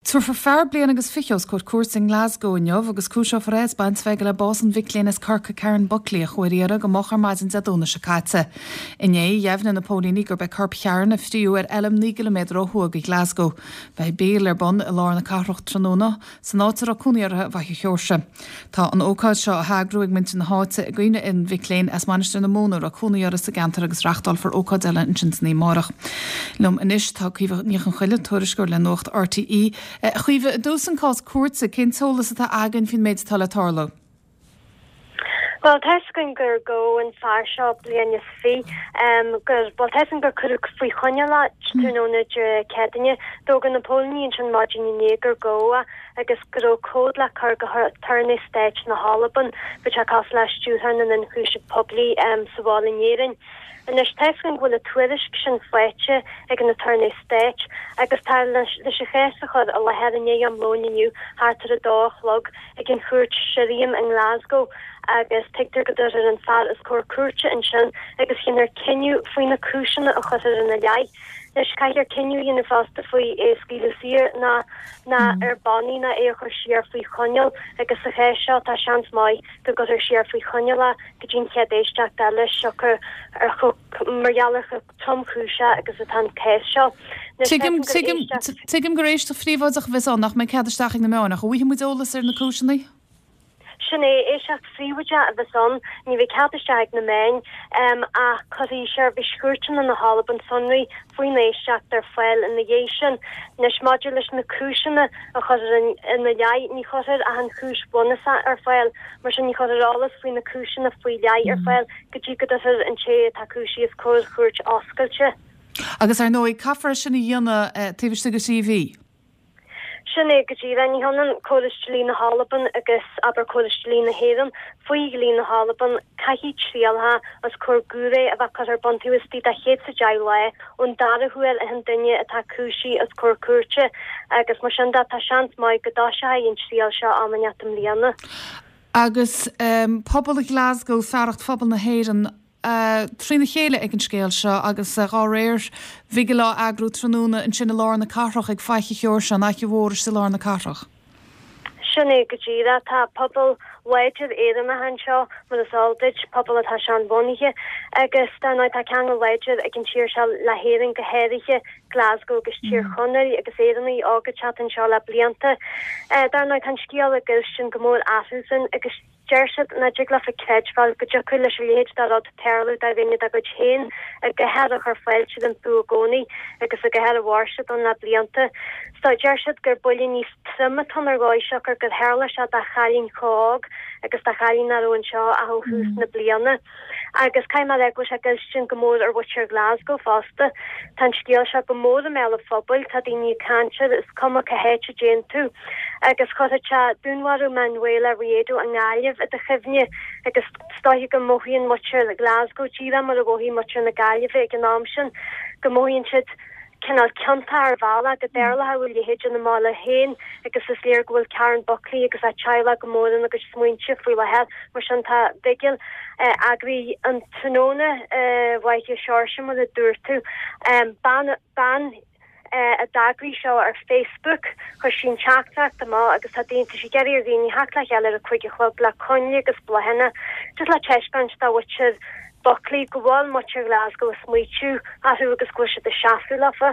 Tabharfar fear bliain agus fiche os comhair cúirte i nGlasgow inniu agus cúiseofar é as baint a bheith aige le bás an mhic léinn as Corcaigh Karen Buckley a chuaigh ar iarraidh go moch ar maidin Dé Domhnaigh seo caite. Inné, dheimhnigh na póilíní gurb é corp Karen a fríodh ar fheilm 9 gciliméadar ó thuaidh de Ghlasgow. Beidh bigil ar bun i lár na cathrach tráthnóna san áit a raibh cónaí uirthi i bhFaiche Sheoirse. Tá an ócáid seo á heagrú ag muintir na háite i gcuimhne ar an mhic léinn as Mainistir na Móna a raibh cónaí uirthi sa gceantar agus reachtálfar ócáid eile ansin san oíche amárach. Liom anois tá Caoimhe Ní Chonchoille, tuairisceoir le Nuacht RTÉ. A Chaoimhe, i dtús an cás cúirte, cén t-eolas atá againn faoin méid atá le tarlú? Bhuel, tá 'fhios againn gur gabhadh an fear seo bliain is gur, bhuel, tá 'fhios againn gur cuireadh faoi choinneáil é tráthnóna Dé Céadaoine. D'fhógair na póilíní ansin maidin inné gur gabhadh é agus go raibh comhad le cur go hAturnae Stáit na hAlban. Bheadh sé cosúil le Stiúrthóir na nIonchúiseamh Poiblí sa bhaile in Éirinn. Anois, tá 'fhios againn go bhfuil an tuairisc sin faighte ag an Aturnae Stáit agus tá leis an chás a chur i láthair i ndiaidh am lóin inniu thart ar a dó a chlog ag an chúirt Shirriam i nGlasgow agus tuigtear go dtabharfar an fear os comhair cúirte ansin agus dhéanfar cinneadh faoi na cúiseanna a chuirfear ina leith. Anois, caithfear cinneadh a dhéanamh fosta faoi é a scaoileadh saor nó nó ar bannaí nó é a chur siar faoi choinneáil agus sa chás seo tá seans maith go gcuirfear siar faoi choinneáil é go dtí an chéad éisteacht eile siocair ar chomh mar gheall ar chomh tromchúiseach agus atá an cás seo. Anois, Tuigim, measaim gur tuigim, éisteacht. tuigim gur éisteacht phríobháideach a bheas ann, nach mbeidh cead isteach ag na meáin, ach an bhfaighidh muid eolas ar na cúiseanna? Sin é, éisteacht phríobháideach a bheas ann, ní bheidh cead isteach ag na meáin, ach cuirfidh Seirbhís Chúirteanna na hAlban sonraí faoin éisteacht ar fáil ina dhiaidh sin. Anois, maidir leis na cúiseanna a chuirfear ina leith, ní chuirfear ach an chúis bhunúsach ar fáil, mar sin ní chuirfear eolas faoi na cúiseanna faoi leith ar fáil go dtí go dtabharfar an té atá cúisithe os comhair chúirt oscailte. Agus ar ndóigh, caithfear é sin a dhéanamh taobh istigh de thrí mhí. Sin é go díreach. Ní hionann córas dlí na hAlban agus, abair, córas dlí na hÉireann. Faoi dhlí na hAlban, caithfidh trialacha os comhair giúiré a bheith curtha ar bun taobh istigh de 110 lá ón dara huair a théann duine atá cúisithe os comhair cúirte agus mar sin de, tá seans maith go dtoiseoidh an triail seo am inteacht i mbliana. Agus pobal Ghlasgow, fearacht phobal na hÉireann, trína chéile ag an scéal seo agus dá réir bigil á eagrú tráthnóna ansin i lár na cathrach ag Faiche Sheoirse, an Fhaiche Mhór istigh i lár na cathrach. Sin é go díreach. Tá pobal láidir Éireannach anseo, mar is eol duit, pobal atá seanbhunaithe agus dar ndóigh tá ceangal láidir ag an tír seo le hÉirinn, go háirithe Glasgow agus Tír Chonaill agus Éireannaigh óga ag teacht anseo le blianta. Dar ndóigh tá an scéal ag goilstin go mór orthusan agus. Deir siad nach dtig leofa creidbheáil go dtiocfadh leis a leithéid de rud tarlú do dhuine dá gcuid féin i gcathair a chuir fáilte rompu i gcónaí agus i gcathair a mhair siad ann le blianta. So, deir siad gur buille níos troime atá ann ar dhóigh siocair gur tharla sé do chailín chomh hóg agus do chailín nach raibh anseo ach ó thús na bliana. Agus caithfidh mé a rá go bhfuil sé ag goilstin go mór ar mhuintir Ghlasgow fosta. Tá an scéal seo go mór i mbéal an phobail, tá daoine ag caint air, is cuma cá háit a dtéann tú. Agus chuirfeadh sé dúnmharú Manuela Riedo i nGaillimh i do chuimhne agus is dóiche go mothaíonn muintir Ghlasgow díreach mar a mhothaigh muintir na Gaillimhe ag an am sin, go mothaíonn siad cineál ciontach ar bhealach go dtarlódh a leithéid ina mbaile féin agus is léir go bhfuil Karen Buckley agus a teaghlach go mór ina gcuid smaointe faoi láthair. Mar sin tá bigil eagraithe an tráthnóna i bhFaiche Seoirse mar a dúirt tú. Bean bean a d'eagraigh seo ar Facebook, chuir sí an teachtaireacht amach agus tá daoine, tá sí ag iarraidh ar dhaoine theacht le chéile ar a 5 a chlog le coinnle agus bláthanna just le taispeáint do mhuintir Buckley go bhfuil muintir Ghlasgow ag smaoitiú orthu agus go bhfuil siad ag seasamh leofa.